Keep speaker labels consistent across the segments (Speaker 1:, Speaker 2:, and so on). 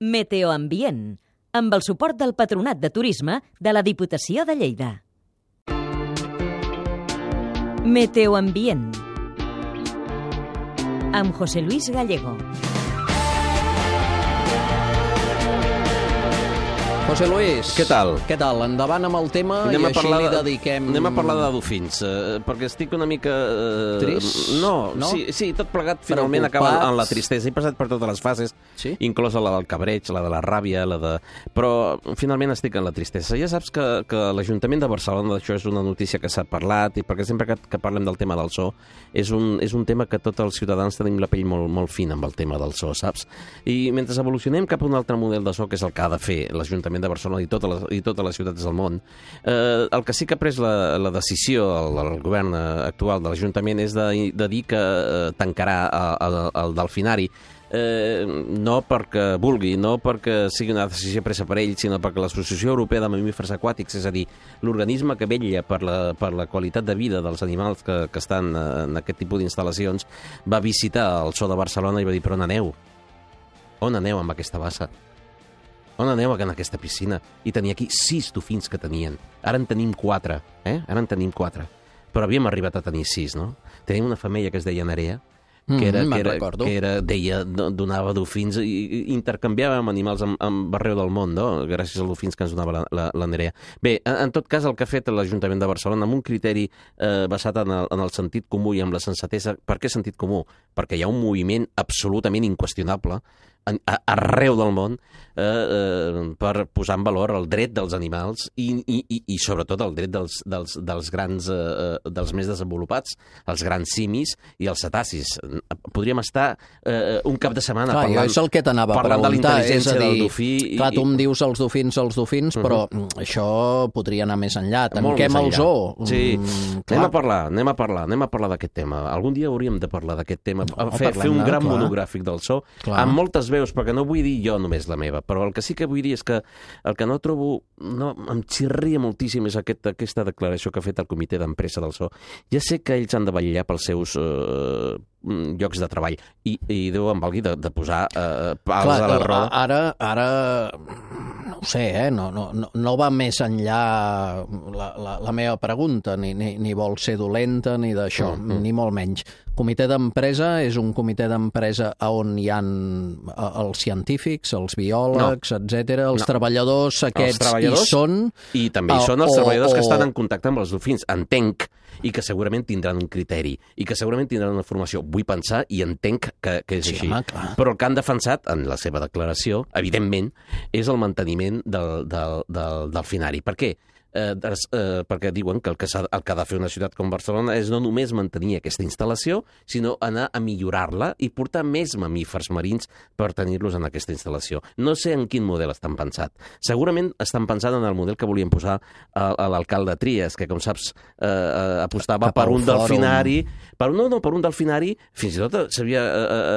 Speaker 1: Meteoambient, amb el suport del Patronat de Turisme de la Diputació de Lleida. Meteoambient, amb José Luis Gallego.
Speaker 2: José Luis,
Speaker 3: què tal?
Speaker 2: Endavant amb el tema i així li dediquem...
Speaker 3: Anem a parlar de dofins, perquè estic una mica...
Speaker 2: Trist?
Speaker 3: No? Sí, tot plegat finalment acaba en la tristesa. He passat per totes les fases,
Speaker 2: sí?
Speaker 3: Inclosa la del cabreig, la de la ràbia, però finalment estic en la tristesa. Ja saps que l'Ajuntament de Barcelona, d'això és una notícia que s'ha parlat, i perquè sempre que parlem del tema del so, és un tema que tots els ciutadans tenim la pell molt fina amb el tema del so, saps? I mentre evolucionem cap a un altre model de so, que és el que ha de fer l'Ajuntament de Barcelona i totes les ciutats del món, el que sí que ha pres la decisió el govern actual de l'Ajuntament és de dir que tancarà el delfinari, no perquè vulgui, no perquè sigui una decisió presa per ell, sinó perquè l'Associació Europea de Mamífers Aquàtics, és a dir, l'organisme que vetlla per la qualitat de vida dels animals que estan en aquest tipus d'instal·lacions, va visitar el Zoo de Barcelona i va dir, però on aneu? On aneu amb aquesta bassa? On aneu en aquesta piscina? I tenia aquí 6 dofins que tenien. Ara en tenim 4, Ara en tenim 4. Però havíem arribat a tenir 6, no? Tenim una femella que es deia Nerea, donava dofins i intercanviava amb animals amb arreu del món, no? Gràcies als dofins que ens donava la Nerea. Bé, en tot cas, el que ha fet l'Ajuntament de Barcelona, amb un criteri basat en el sentit comú i amb la sensatesa. Per què sentit comú? Perquè hi ha un moviment absolutament inqüestionable arreu del món per posar en valor el dret dels animals i sobretot el dret dels grans, dels més desenvolupats, els grans simis i els cetacis. Podríem estar un cap de setmana parlant,
Speaker 2: és el que t'anava a preguntar,
Speaker 3: de la intel·ligència del dofí.
Speaker 2: Clar, tu em dius els dofins, però això podria anar més enllà. Tanquem el zoo.
Speaker 3: Sí, anem a parlar d'aquest tema. Algun dia hauríem de parlar d'aquest tema, fer un gran monogràfic del zoo, amb moltes veus, perquè no vull dir jo només la meva, però el que sí que vull dir és que el que no trobo, em xirria moltíssim és aquesta declaració que ha fet el comitè d'empresa del zoo. Ja sé que ells han de vetllar pels seus llocs de treball i Déu em valgui de posar pals a la roda.
Speaker 2: Ara no ho sé, no va més enllà la meva pregunta, ni vol ser dolenta ni d'això, ni molt menys. Comitè d'empresa és un comitè d'empresa on hi ha els científics, els biòlegs, etc. Els treballadors aquests hi són?
Speaker 3: I també hi són els treballadors que estan en contacte amb els dofins, entenc, i que segurament tindran un criteri, i que segurament tindran una formació. Vull pensar i entenc que és així. Però el que han defensat en la seva declaració, evidentment, és el manteniment del delfinari. Per què? Perquè diuen que el que ha de fer una ciutat com Barcelona és no només mantenir aquesta instal·lació, sinó anar a millorar-la i portar més mamífers marins per tenir-los en aquesta instal·lació. No sé en quin model estan pensat. Segurament estan pensant en el model que volien posar a l'alcalde Trias, que, com saps, apostava per un delfinari. Per un delfinari, fins i tot s'havia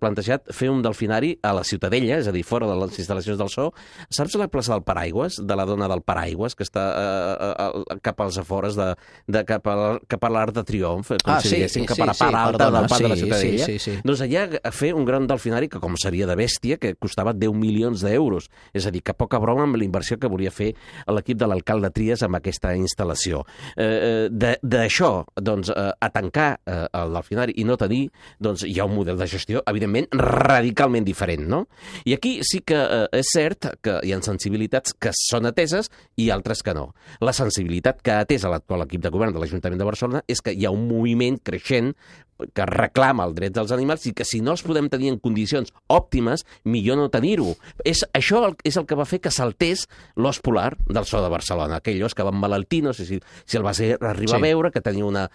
Speaker 3: plantejat fer un delfinari a la Ciutadella, és a dir, fora de les instal·lacions del zoo. Saps la plaça del Paraigües, de la dona del Paraigües, que està cap als afores cap a l'Arc de Triomf, com si diguéssim, cap a la part alta del parc de la Ciutadella. Doncs allà a fer un gran delfinari que, com seria de bèstia, que costava 10 milions d'euros. És a dir, que poca broma amb la inversió que volia fer l'equip de l'alcalde Trias amb aquesta instal·lació. D'això, doncs, a tancar el delfinari i no tenir, doncs hi ha un model de gestió, evidentment, radicalment diferent, no? I aquí sí que és cert que hi ha sensibilitats que són ateses i altres que no. La sensibilitat que ha atès l'actual equip de govern de l'Ajuntament de Barcelona és que hi ha un moviment creixent que reclama el dret dels animals i que si no els podem tenir en condicions òptimes, millor no tenir-ho. Això és el que va fer que saltés l'os polar del Zoo de Barcelona. Aquell os que va emmalaltir, no sé si el vas arribar a veure, que tenia una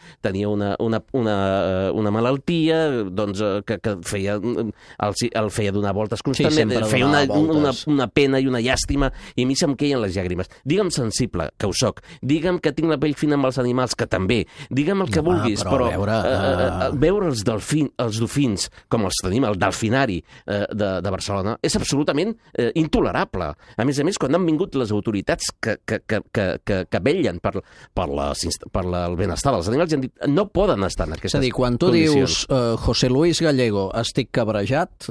Speaker 3: malaltia, doncs, que el feia donar voltes constantment, feia una pena i una llàstima, i a mi se'm queien les llàgrimes. Digue'm sensible, que ho soc. Digue'm que tinc la pell fina amb els animals, que també. Digue'm el que vulguis, però veure els dofins, com els tenim al delfinari de Barcelona, és absolutament intolerable. A més, quan han vingut les autoritats que vetllen per el benestar dels animals, han dit no poden estar en aquestes condicions. És a dir,
Speaker 2: quan tu dius José Luis Gallego, estic cabrejat...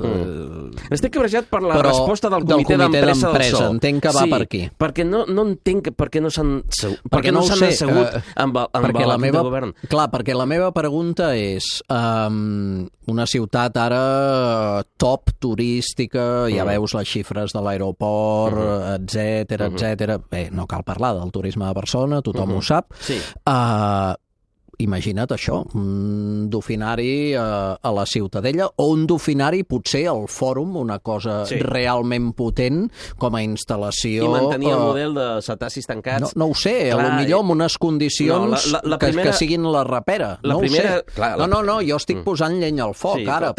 Speaker 3: Estic cabrejat per la resposta del comitè d'empresa del PSOE.
Speaker 2: Entenc que va per aquí.
Speaker 3: Perquè no entenc per què no s'han assegut amb l'equip de govern.
Speaker 2: Clar, perquè la meva pregunta és una ciutat ara top turística, ja veus les xifres de l'aeroport, etcètera. Bé, no cal parlar del turisme de Barcelona, tothom ho sap.
Speaker 3: Sí.
Speaker 2: Imagina't això, un dofinari a la Ciutadella, o un dofinari potser al Fòrum, una cosa realment potent com a instal·lació...
Speaker 3: I mantenir el model de cetacis tancats...
Speaker 2: No ho sé, potser amb unes condicions que siguin la rapera. No ho sé. No, jo estic posant llenya al foc ara.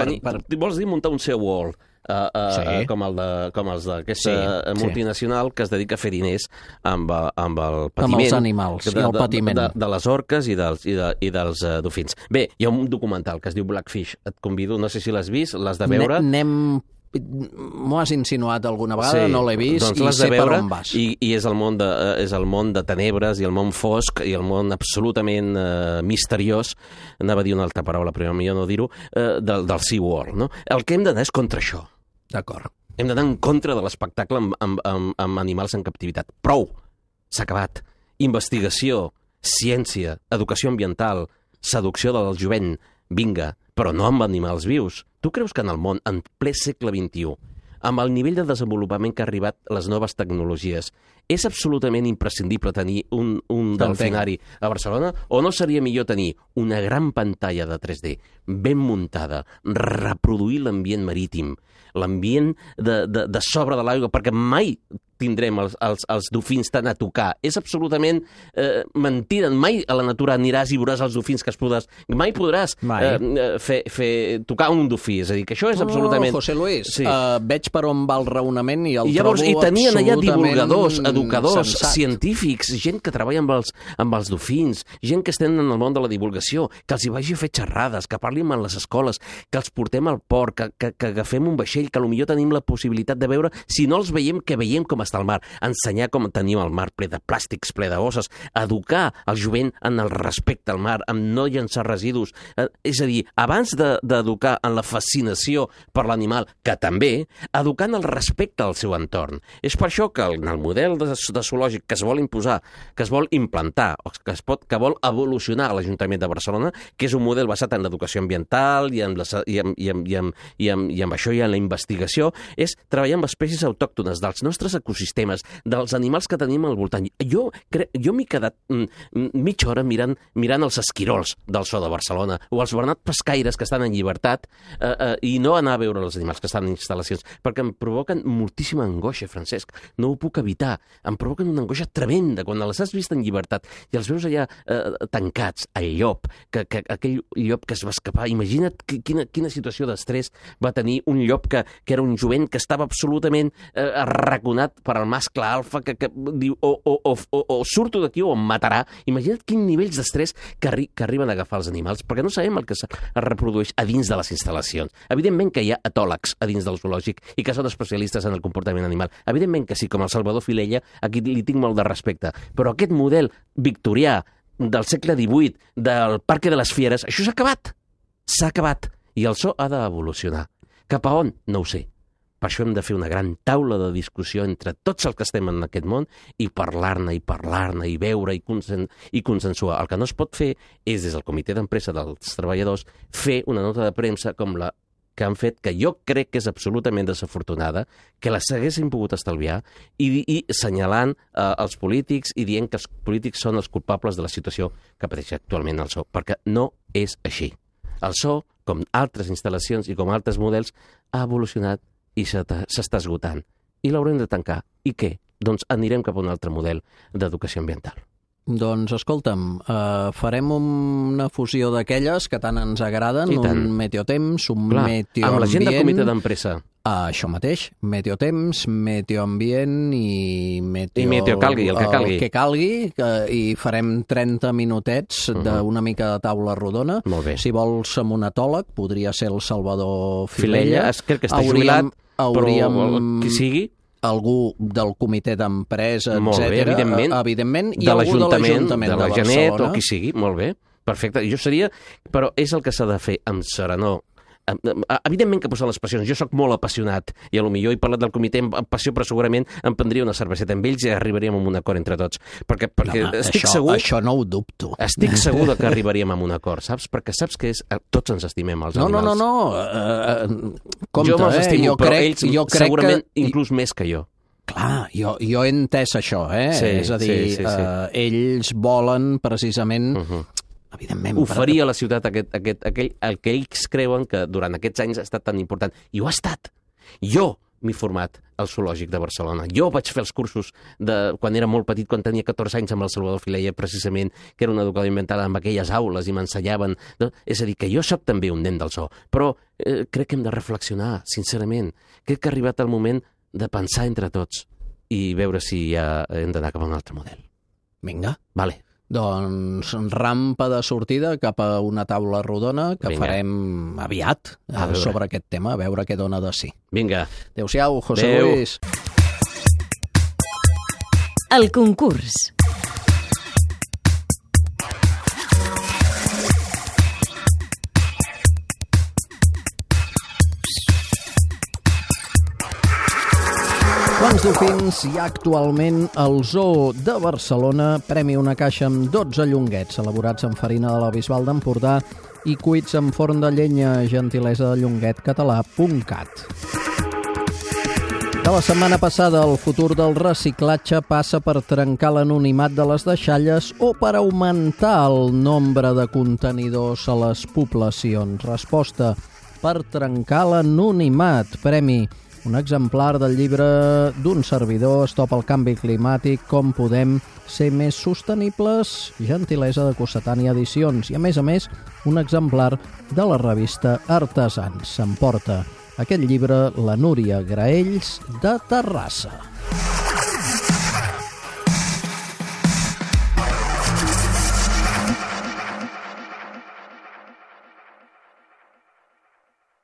Speaker 3: Vols dir muntar un SeaWorld? Com els d'aquesta multinacional que es dedica a fer diners amb el patiment.
Speaker 2: Amb els animals i el patiment.
Speaker 3: De les orques i dels dofins. Bé, hi ha un documental que es diu Blackfish. Et convido, no sé si l'has vist, l'has de veure.
Speaker 2: M'ho has insinuat alguna vegada, no l'he vist, i sé per on vas.
Speaker 3: I és el món de tenebres i el món fosc i el món absolutament misteriós, anava a dir una altra paraula, però millor no dir-ho, del SeaWorld. No? El que hem d'anar és contra això.
Speaker 2: D'acord.
Speaker 3: Hem d'anar en contra de l'espectacle amb animals en captivitat. Prou! S'ha acabat. Investigació, ciència, educació ambiental, seducció del jovent, vinga, però no amb animals vius. Tu creus que en el món, en ple segle XXI, amb el nivell de desenvolupament que ha arribat les noves tecnologies, és absolutament imprescindible tenir un delfinari a Barcelona? O no seria millor tenir una gran pantalla de 3D ben muntada, reproduir l'ambient marítim, l'ambient de sobre de l'aigua, perquè mai tindrem els dofins tant a tocar. És absolutament mentida. Mai a la natura aniràs i veuràs els dofins que es podràs... Mai podràs tocar un dofí. És a dir, que això és absolutament...
Speaker 2: José Luis, veig per on va el raonament i el trobo absolutament...
Speaker 3: I tenien allà divulgadors, educadors, científics, gent que treballa amb els dofins, gent que estan en el món de la divulgació, que els hi vagi a fer xerrades, que parlin en les escoles, que els portem al port, que agafem un vaixell, que potser tenim la possibilitat de veure, si no els veiem, que veiem com està el mar, ensenyar com tenim el mar ple de plàstics, ple de bosses, educar el jovent en el respecte al mar, en no llençar residus. És a dir, abans d'educar en la fascinació per l'animal, que també, educar en el respecte al seu entorn. És per això que en el model de zoològic que es vol imposar, que es vol implantar, o que vol evolucionar a l'Ajuntament de Barcelona, que és un model basat en l'educació ambiental i amb això i en la investigació, és treballar amb espècies autòctones dels nostres ecosistemes, dels animals que tenim al voltant. Jo m'he quedat mitja hora mirant els esquirols del zoo de Barcelona o els bernat pescaires que estan en llibertat i no anar a veure els animals que estan en instal·lacions, perquè em provoquen moltíssima angoixa, Francesc. No ho puc evitar. Em provoquen una angoixa tremenda quan les has vist en llibertat i els veus allà tancats. El llop, aquell llop que es va escapar. Imagina't quina situació d'estrès va tenir un llop que era un jovent que estava absolutament arraconat per al mascle alfa que diu o surto d'aquí o em matarà. Imagina't quins nivells d'estrès que arriben a agafar els animals, perquè no sabem el que es reprodueix a dins de les instal·lacions. Evidentment que hi ha etòlegs a dins del zoològic i que són especialistes en el comportament animal. Evidentment que sí, com el Salvador Filella, aquí li tinc molt de respecte. Però aquest model victorià del segle XVIII, del Parque de les Fieres, això s'ha acabat. S'ha acabat. I el zoo ha d'evolucionar. Cap a on? No ho sé. Per això hem de fer una gran taula de discussió entre tots els que estem en aquest món i parlar-ne, i veure, i consensuar. El que no es pot fer és, des del comitè d'empresa dels treballadors, fer una nota de premsa com la que han fet, que jo crec que és absolutament desafortunada, que la s'haguessin pogut estalviar, i assenyalant els polítics i dient que els polítics són els culpables de la situació que pateix actualment el zoo, perquè no és així. El zoo, com altres instal·lacions i com altres models, ha evolucionat i s'està esgotant. I l'haurem de tancar. I què? Doncs anirem cap a un altre model d'educació ambiental.
Speaker 2: Doncs, escolta'm, farem una fusió d'aquelles que tant ens agraden, un meteotemps, un meteoambient...
Speaker 3: Amb la gent del comitè d'empresa.
Speaker 2: Això mateix, meteotemps, meteoambient i
Speaker 3: meteo calgui, el que calgui.
Speaker 2: El que calgui, i farem 30 minutets d'una mica de taula rodona.
Speaker 3: Molt bé.
Speaker 2: Si vols amb un etòleg, podria ser el Salvador Filella.
Speaker 3: Crec que està jubilat, però qui sigui.
Speaker 2: Algú del comitè d'empresa, etc.
Speaker 3: Evidentment.
Speaker 2: I algú de l'Ajuntament de
Speaker 3: la Genet,
Speaker 2: Barcelona.
Speaker 3: o qui sigui, molt bé. Perfecte. Jo seria... Però és el que s'ha de fer amb serenor. Evidentment que posen les passions. Jo sóc molt apassionat i potser he parlat del comitè amb passió, però segurament em prendria una cerveseta amb ells i arribaríem a un acord entre tots. Perquè estic segur...
Speaker 2: Això no ho dubto.
Speaker 3: Estic segur que arribaríem a un acord, saps? Perquè saps que tots ens estimem, els animals.
Speaker 2: No. Compte,
Speaker 3: jo me'ls estimo, però ells segurament
Speaker 2: que...
Speaker 3: inclús més que jo.
Speaker 2: Clar, jo he entès això,
Speaker 3: Sí,
Speaker 2: és a dir, ells volen precisament... Evidentment,
Speaker 3: oferir a la ciutat el que ells creuen que durant aquests anys ha estat tan important. I ho ha estat. Jo m'he format al Zoològic de Barcelona. Jo vaig fer els cursos quan era molt petit, quan tenia 14 anys amb el Salvador Filella, precisament, que era un educador ambiental amb aquelles aules i m'ensenyaven. No? És a dir, que jo soc també un nen del zoo, però crec que hem de reflexionar, sincerament. Crec que ha arribat el moment de pensar entre tots i veure si ja hem d'anar cap a un altre model.
Speaker 2: Vinga.
Speaker 3: Vale.
Speaker 2: Doncs rampa de sortida cap a una taula rodona que farem aviat sobre aquest tema, a veure què dona de si.
Speaker 3: Vinga.
Speaker 2: Adéu-siau, José Luis.
Speaker 1: El concurs.
Speaker 2: Quants dofins hi ha actualment al Zoo de Barcelona? Premi una caixa amb 12 llonguets elaborats amb farina de la Bisbal d'Empordà i cuits en forn de llenya, gentilesa de llonguetcatalà.cat. De la setmana passada, el futur del reciclatge passa per trencar l'anonimat de les deixalles o per augmentar el nombre de contenidors a les poblacions. Resposta: per trencar l'anonimat. Premi: un exemplar del llibre d'un servidor, Stop al canvi climàtic, com podem ser més sostenibles, gentilesa de Cossetània Edicions. I a més, un exemplar de la revista Artesans. S'emporta aquest llibre la Núria Graells de Terrassa.